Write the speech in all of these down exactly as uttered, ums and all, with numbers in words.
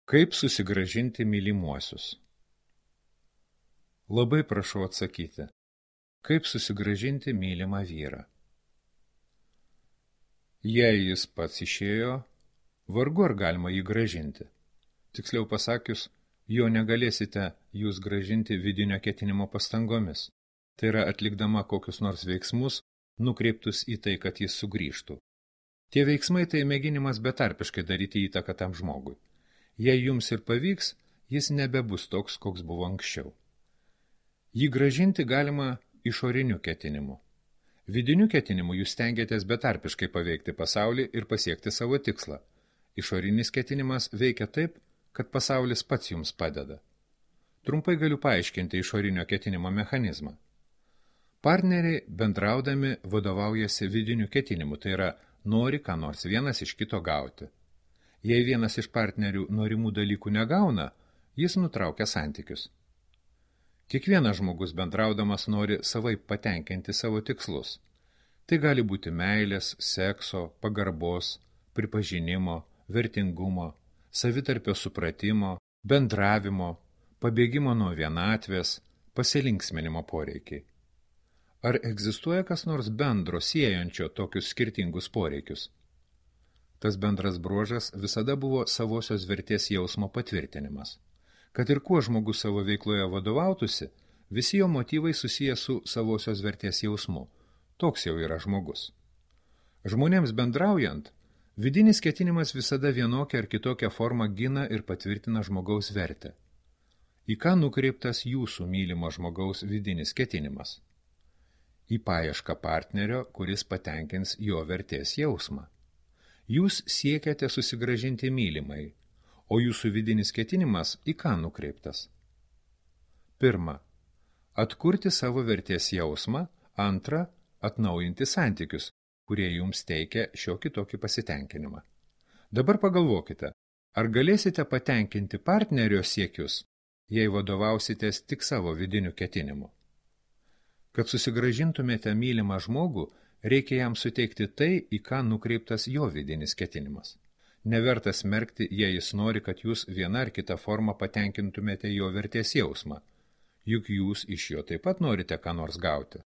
Kaip susigrąžinti mylimuosius? Labai prašau atsakyti, kaip susigrąžinti mylimą vyrą. Jei jis pats išėjo, vargu ar galima jį grąžinti. Tiksliau pasakius, jo negalėsite jūs grąžinti vidinio ketinimo pastangomis, tai yra atlikdama kokius nors veiksmus, nukreiptus į tai, kad jis sugrįžtų. Tie veiksmai tai mėginimas betarpiškai daryti įtaką tam žmogui. Jei jums ir pavyks, jis nebebus toks, koks buvo anksčiau. Jį grąžinti galima išoriniu ketinimu. Vidiniu ketinimu jūs stengiatės betarpiškai paveikti pasaulį ir pasiekti savo tikslą. Išorinis ketinimas veikia taip, kad pasaulis pats jums padeda. Trumpai galiu paaiškinti išorinio ketinimo mechanizmą. Partneriai bendraudami vadovaujasi vidiniu ketinimu, tai yra nori ką nors vienas iš kito gauti. Jei vienas iš partnerių norimų dalykų negauna, jis nutraukia santykius. Kiekvienas žmogus bendraudamas nori savaip patenkinti savo tikslus. Tai gali būti meilės, sekso, pagarbos, pripažinimo, vertingumo, savitarpio supratimo, bendravimo, pabėgimo nuo vienatvės, pasilinksminimo poreikiai. Ar egzistuoja kas nors bendro siejančio tokius skirtingus poreikius? Tas bendras bruožas visada buvo savosios vertės jausmo patvirtinimas. Kad ir kuo žmogus savo veikloje vadovautųsi, visi jo motyvai susiję su savosios vertės jausmu. Toks jau yra žmogus. Žmonėms bendraujant, vidinis ketinimas visada vienokia ar kitokia forma gina ir patvirtina žmogaus vertę. Į ką nukreiptas jūsų mylimo žmogaus vidinis ketinimas? Į paiešką partnerio, kuris patenkins jo vertės jausmą. Jūs siekiate susigrąžinti mylimai, o jūsų vidinis ketinimas į ką nukreiptas? Pirma, atkurti savo vertės jausmą, antra, atnaujinti santykius, kurie jums teikia šiokį tokį pasitenkinimą. Dabar pagalvokite, ar galėsite patenkinti partnerio siekius, jei vadovausitės tik savo vidiniu ketinimu? Kad susigrąžintumėte mylimą žmogų, reikia jam suteikti tai, į ką nukreiptas jo vidinis ketinimas. Neverta smerkti, jei jis nori, kad jūs viena ar kita forma patenkintumėte jo vertės jausmą, juk jūs iš jo taip pat norite ką nors gauti.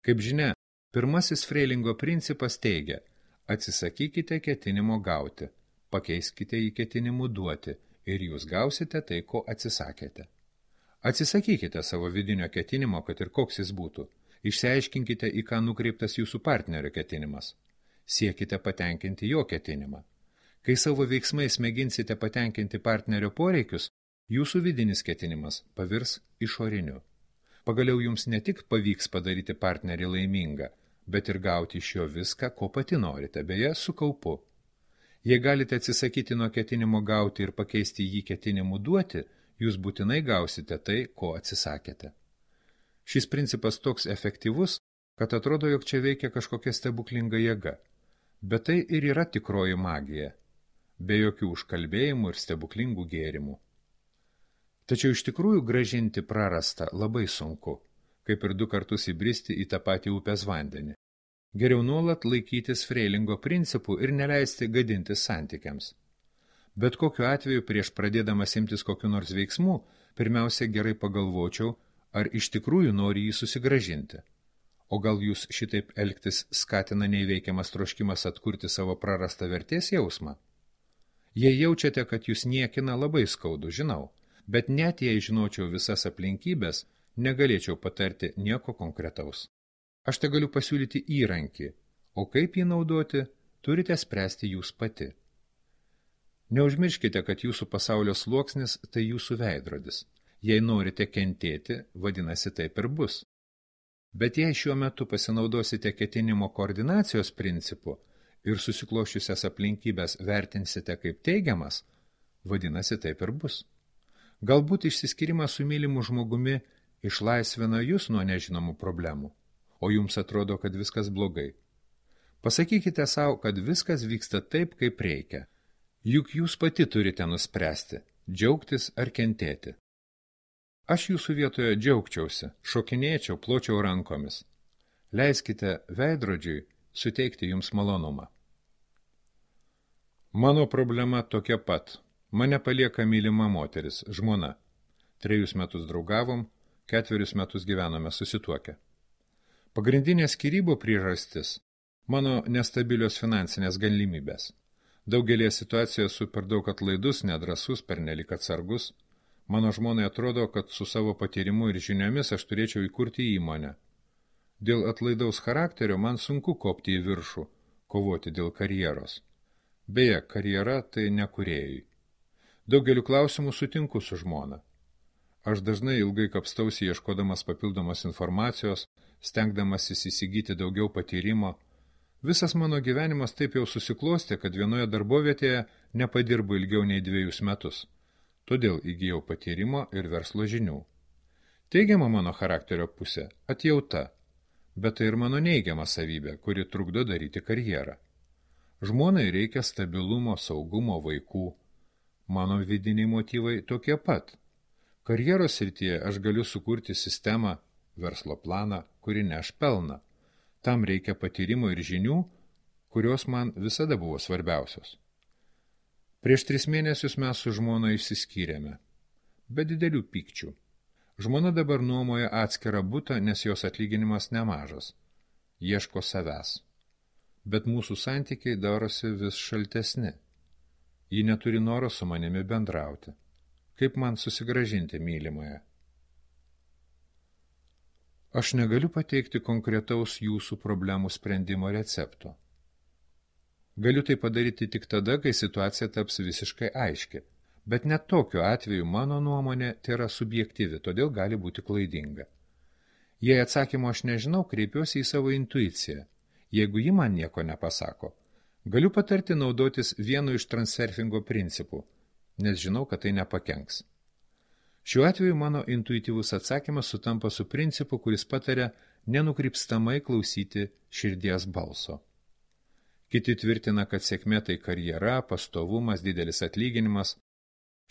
Kaip žinia, pirmasis Freilingo principas teigia, atsisakykite ketinimo gauti, pakeiskite į ketinimų duoti ir jūs gausite tai, ko atsisakėte. Atsisakykite savo vidinio ketinimo, kad ir koks jis būtų. Išsiaiškinkite, į ką nukreiptas jūsų partnerio ketinimas. Siekite patenkinti jo ketinimą. Kai savo veiksmais mėginsite patenkinti partnerio poreikius, jūsų vidinis ketinimas pavirs išoriniu. Pagaliau jums ne tik pavyks padaryti partnerį laimingą, bet ir gauti iš jo viską, ko pati norite, beje, su kaupu. Jei galite atsisakyti nuo ketinimo gauti ir pakeisti jį ketinimu duoti, jūs būtinai gausite tai, ko atsisakėte. Šis principas toks efektyvus, kad atrodo, jog čia veikia kažkokia stebuklinga jėga. Bet tai ir yra tikroji magija, be jokių užkalbėjimų ir stebuklingų gėrimų. Tačiau iš tikrųjų grąžinti prarastą labai sunku, kaip ir du kartus įbristi į tą patį upės vandenį. Geriau nuolat laikytis Freilingo principų ir neleisti gadintis santykiams. Bet kokiu atveju prieš pradėdamas imtis kokiu nors veiksmų, pirmiausia gerai pagalvočiau, ar iš tikrųjų nori jį susigrąžinti. O gal jūs šitaip elgtis skatina neįveikiamas troškimas atkurti savo prarastą vertės jausmą? Jei jaučiate, kad jūs niekina, labai skaudu, žinau, bet net jei žinočiau visas aplinkybės, negalėčiau patarti nieko konkretaus. Aš te galiu pasiūlyti įrankį, o kaip jį naudoti, turite spręsti jūs pati. Neužmirškite, kad jūsų pasaulio sluoksnis tai jūsų veidrodis. Jei norite kentėti, vadinasi taip ir bus. Bet jei šiuo metu pasinaudosite ketinimo koordinacijos principu ir susiklošiusias aplinkybės vertinsite kaip teigiamas, vadinasi taip ir bus. Galbūt išsiskyrimas su mylimu žmogumi išlaisvina jūs nuo nežinomų problemų, o jums atrodo, kad viskas blogai. Pasakykite savo, kad viskas vyksta taip, kaip reikia. Juk jūs pati turite nuspręsti, džiaugtis ar kentėti. Aš jūsų vietoje džiaugčiausi, šokinėčiau, pločiau rankomis. Leiskite veidrodžiui suteikti jums malonumą. Mano problema tokia pat. Mane palieka mylima moteris, žmona. Trejus metus draugavom, ketverius metus gyvenome susituokę. Pagrindinė skyrybų priežastis – mano nestabilios finansinės galimybės. Daugelėje situacijų esu per daug atlaidus, nedrasus, pernelik atsargus. Mano žmonai atrodo, kad su savo patyrimu ir žiniomis aš turėčiau įkurti įmonę. Dėl atlaidaus charakterio man sunku kopti į viršų, kovoti dėl karjeros. Beje, karjera tai ne kūrėjai. Daugeliu klausimų sutinku su žmona. Aš dažnai ilgai kapstausi ieškodamas papildomos informacijos, stengdamasis įsigyti daugiau patyrimo. Visas mano gyvenimas taip jau susiklostė, kad vienoje darbovietėje nepadirbu ilgiau nei dviejus metus. Todėl įgijau patyrimo ir verslo žinių. Teigiama mano charakterio pusė – atjauta, bet tai ir mano neigiama savybė, kuri trukdo daryti karjerą. Žmonai reikia stabilumo, saugumo, vaikų. Mano vidiniai motyvai tokie pat. Karjeros srityje aš galiu sukurti sistemą, verslo planą, kuri neš pelną. Tam reikia patyrimo ir žinių, kurios man visada buvo svarbiausios. Prieš tris mėnesius mes su žmona išsiskyrėme, be didelių pykčių. Žmona dabar nuomoja atskirą butą, nes jos atlyginimas nemažas. Ieško savęs. Bet mūsų santykiai darosi vis šaltesni. Ji neturi noro su manimi bendrauti. Kaip man susigražinti mylimąją? Aš negaliu pateikti konkretaus jūsų problemų sprendimo recepto. Galiu tai padaryti tik tada, kai situacija taps visiškai aiški, bet net tokiu atveju mano nuomonė tai yra subjektyvi, todėl gali būti klaidinga. Jei atsakymo aš nežinau, kreipiuosi į savo intuiciją. Jeigu ji man nieko nepasako, galiu patarti naudotis vienu iš transurfingo principų, nes žinau, kad tai nepakenks. Šiuo atveju mano intuityvus atsakymas sutampa su principu, kuris pataria nenukrypstamai klausyti širdies balso. Kiti tvirtina, kad sėkmė tai karjera, pastovumas, didelis atlyginimas.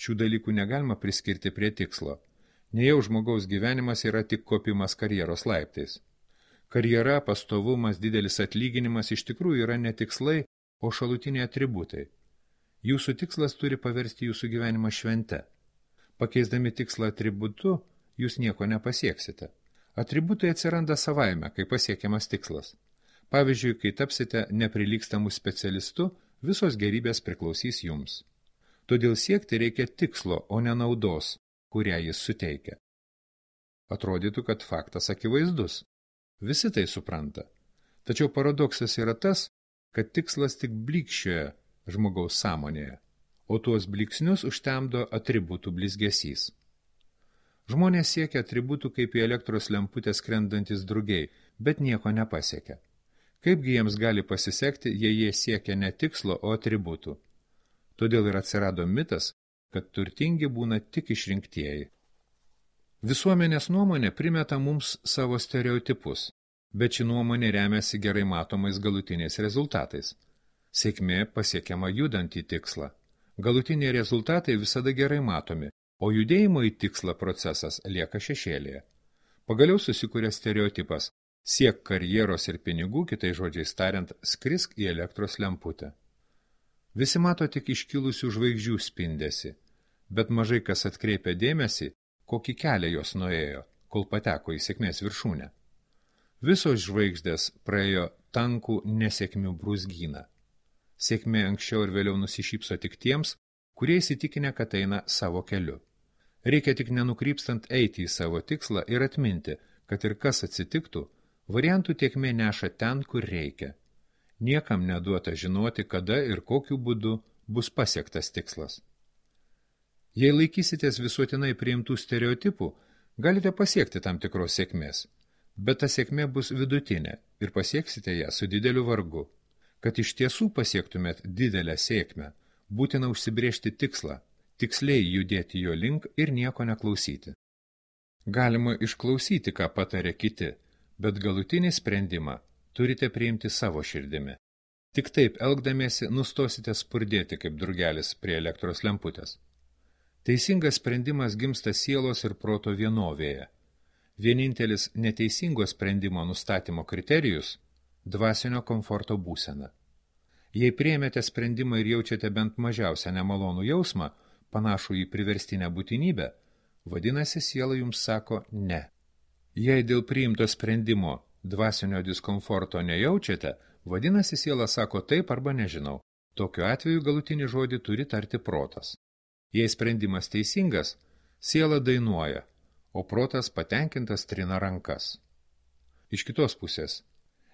Šių dalykų negalima priskirti prie tikslo. Nejau žmogaus gyvenimas yra tik kopimas karjeros laiptais. Karjera, pastovumas, didelis atlyginimas iš tikrųjų yra ne tikslai, o šalutiniai atributai. Jūsų tikslas turi paversti jūsų gyvenimą švente. Pakeisdami tikslą atributu, jūs nieko nepasieksite. Atributai atsiranda savaime, kai pasiekiamas tikslas. Pavyzdžiui, kai tapsite neprilygstamų specialistu, visos gerybės priklausys jums. Todėl siekti reikia tikslo, o ne naudos, kurią jis suteikia. Atrodytų, kad faktas akivaizdus. Visi tai supranta. Tačiau paradoksas yra tas, kad tikslas tik blykščioje žmogaus sąmonėje, o tuos blyksnius užtemdo atributų blizgesys. Žmonės siekia atributų kaip į elektros lemputę skrendantis drugiai, bet nieko nepasiekia. Kaipgi jiems gali pasisekti, jei jie siekia ne tikslo, o atributų. Todėl ir atsirado mitas, kad turtingi būna tik išrinktieji. Visuomenės nuomonė primeta mums savo stereotipus, bet ši nuomonė remiasi gerai matomais galutiniais rezultatais. Sėkmė pasiekiama judant į tikslą. Galutiniai rezultatai visada gerai matomi, o judėjimo į tikslą procesas lieka šešėlėje. Pagaliau susikuria stereotipas – siek karjeros ir pinigų, kitai žodžiais tariant, skrisk į elektros lemputę. Visi mato tik iškilusių žvaigždžių spindesį, bet mažai kas atkreipia dėmesį, kokį kelią jos nuėjo, kol pateko į sėkmės viršūnę. Visos žvaigždės praėjo tankų nesėkmių brūzgyną. Sėkmė anksčiau ir vėliau nusišypso tik tiems, kurie įsitikinę, kad eina savo keliu. Reikia tik nenukrypstant eiti į savo tikslą ir atminti, kad ir kas atsitiktų, variantų tiekmė neša ten, kur reikia. Niekam neduota žinoti, kada ir kokiu būdu bus pasiektas tikslas. Jei laikysitės visuotinai priimtų stereotipų, galite pasiekti tam tikros sėkmės, bet ta sėkmė bus vidutinė ir pasieksite ją su dideliu vargu. Kad iš tiesų pasiektumėt didelę sėkmę, būtina užsibrėžti tikslą, tiksliai judėti jo link ir nieko neklausyti. Galima išklausyti, ką patarė kiti, bet galutinį sprendimą turite priimti savo širdimi. Tik taip elgdamiesi nustosite spurdėti kaip drugelis prie elektros lemputės. Teisingas sprendimas gimsta sielos ir proto vienovėje. Vienintelis neteisingo sprendimo nustatymo kriterijus – dvasinio komforto būsena. Jei priėmėte sprendimą ir jaučiate bent mažiausią nemalonų jausmą, panašų į priverstinę būtinybę, vadinasi, siela jums sako ne. Jei dėl priimto sprendimo dvasinio diskomforto nejaučiate, vadinasi, siela sako taip arba nežinau. Tokiu atveju galutinį žodį turi tarti protas. Jei sprendimas teisingas, siela dainuoja, o protas patenkintas trina rankas. Iš kitos pusės,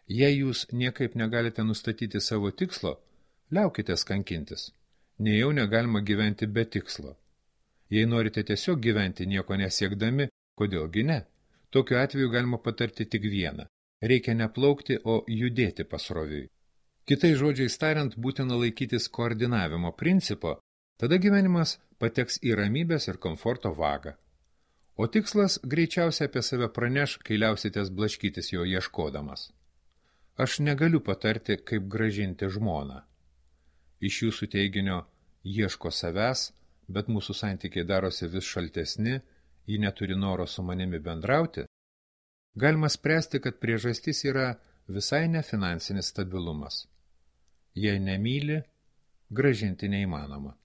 jei jūs niekaip negalite nustatyti savo tikslo, liaukitės kankintis. Nejau negalima gyventi be tikslo. Jei norite tiesiog gyventi nieko nesiekdami, kodėlgi ne? Tokiu atveju galima patarti tik vieną. Reikia neplaukti, o judėti pasroviui. Kitais žodžiais tariant, būtina laikytis koordinavimo principo, tada gyvenimas pateks į ramybės ir komforto vagą. O tikslas greičiausiai apie save praneš, kai liausitės blaškytis jo ieškodamas. Aš negaliu patarti, kaip grąžinti žmoną. Iš jūsų teiginio ieško savęs, bet mūsų santykiai darosi vis šaltesni, ji neturi noro su manimi bendrauti, galima spręsti, kad priežastis yra visai ne finansinis stabilumas. Jei nemyli, grąžinti neįmanoma.